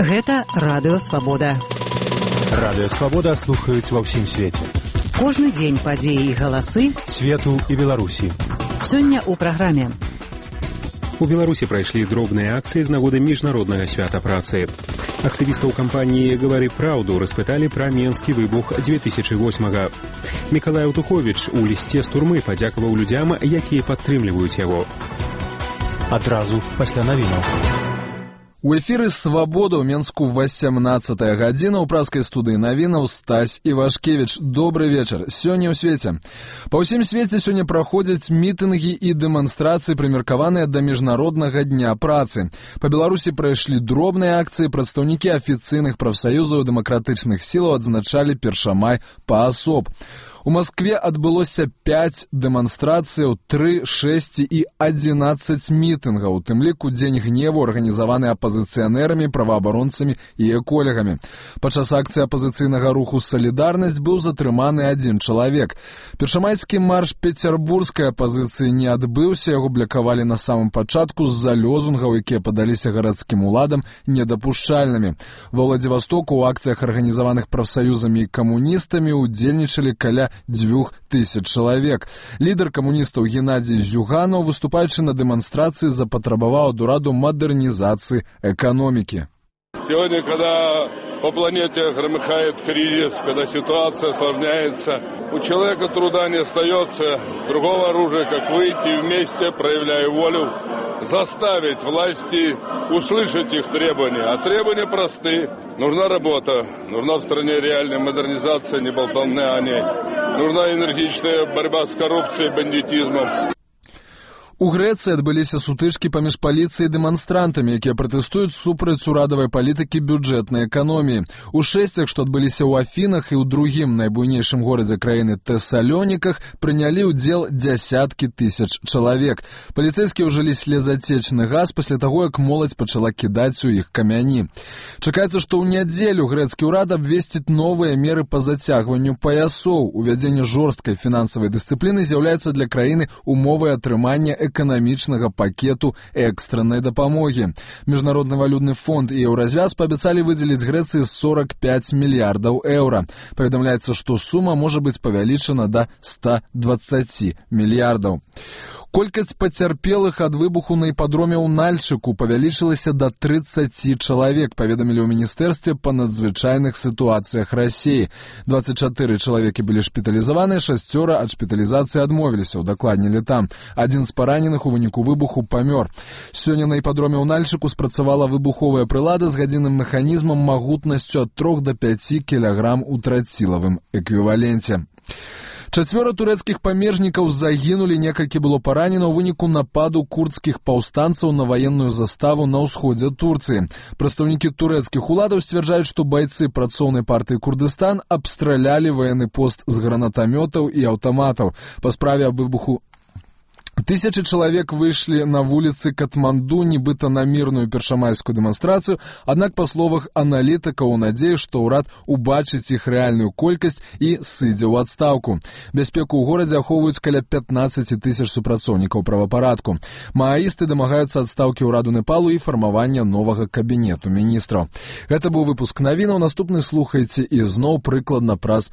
Гэта Радыё Свабода. Радыё Свабода слухаюць ва ўсім свеце. Кожны дзень падзеі і галасы свету і Беларусі. Сёння ў праграме. У Беларусі прайшлі дробныя акцыі з нагоды міжнароднага свята працы. Актывістаў кампаніі «Гавары праўду» распыталі пра менскі выбух 2008-го. Мікалай Аўтуховіч у лісце з турмы падзякаваў людзям, якія падтрымліваюць яго. Адразу пасля навінаў. У эфіры «Свабода» ў Менску 18-я гадзіна. У праскай студыі навінаў Стась Івашкевіч. Добры вечар. Сёння ў свеце. Па ўсім свеце сёння праходзяць мітынгі і дэманстрацыі, прымеркаваныя да Міжнароднага дня працы. Па Беларусі прайшлі дробныя акцыі. Прадстаўнікі афіцыйных прафсаюзаў дэмакратычных сілаў адзначалі першамай паасоб. У Маскве адбылося 5 дэманстрацыяў, 3, 6 і 11 мітынгаў, у тым ліку дзень гневу, арганізаваны апазіцыянерамі, праваабаронцамі і эколегамі. Падчас акцыі апазіцыйнага руху «Салідарнасць» быў затрыманы адзін чалавек. Першамайскі марш пецярбургскай апазіцыі не адбыўся, яго блакавалі на самым пачатку з-за лёзунгаў, якія падаліся гарадскім уладам недапушчальнымі. Ва Владзівастоку ў акцыях, арганізаваных прафсаюзамі і камуністамі, удзельнічалі каля 2000 чалавек. Лідар камуністаў Геннадзій Зюганаў, выступаючы на дэманстрацыі, запатрабаваў ад ураду мадэрнізацыі эканомікі. Сегодня, когда по планете громыхает кризис, когда ситуация осложняется, у человека труда не остается другого оружия, как выйти вместе, проявляя волю, заставить власти услышать их требования. А требования просты. Нужна работа, нужна в стране реальная модернизация, не болтовня о ней. Нужна энергичная борьба с коррупцией и бандитизмом. У Грэцыі адбыліся сутычкі паміж паліцыяй і дэманстрантамі, якія пратэстуюць супраць урадавай палітыкі бюджэтнай эканоміі. У шэсцях, што адбыліся ў Афінах і ў другім найбуйнейшым горадзе краіны Тэсалоніках, прынялі ўдзел дзясяткі тысяч чалавек. Паліцэйскія ўжылі слезацечны газ пасля таго, як моладзь пачала кідаць у іх камяні. Чакаецца, што ў нядзелю грэцкі ўрад абвесціць новыя меры па зацягванню паясоў. Увядзенне жорсткай фінансавай дысцыпліны з'яўляецца для краіны умовай атрымання эканамічнага пакету экстраннай дапамогі. Міжнародны валютны фонд і Еўразвяз паабяцалі выдзеліць Грэцыі 45 мільярдаў еўра. Паведамляецца, што сума можа быць павялічана да 120 мільярдаў. Колькасць пацярпелых ад выбуху на іпадроме ў Нальчыку павялічылася да 30 чалавек, паведамілі ў Міністэрстве па надзвычайных сітуацыях Расіі. 24 чалавекі былі шпіталізаваныя, 6 ад шпіталізацыі адмовіліся, удакладнілі там. Адзін з параненых у выніку выбуху памёр. Сёння на іпадроме ў Нальчыку спрацавала выбуховая прылада з гадзінным механізмам магутнасцю ад 3 до 5 кілаграм у трацілавым эквіваленце. 4 турэцкіх памежнікаў загінулі, некалькі было паранена ў выніку нападу курдскіх паўстанцаў на ваенную заставу на ўсходзе Турцыі. Прадстаўнікі турэцкіх уладаў сцвярджаюць, што байцы працоўнай партыі Курдыстан абстралялі ваенны пост з гранатамётаў і аўтаматаў. Па справе аб выбуху тысячы чалавек выйшлі на вуліцы Катманду, нібыта на мірную першамайскую дэманстрацыю, аднак, па словах аналітыкаў, у надзеі, што ўрад убачыць іх рэальную колькасць і сыдзе ў адстаўку. Бяспеку ў горадзе ахоўваюць каля 15 тысяч супрацоўнікаў правапарадку. Мааісты дамагаюцца адстаўкі ўраду Непалу і фармавання новага кабінету міністраў. Гэта быў выпуск навінаў. Наступны слухайце і зноў прыкладна праз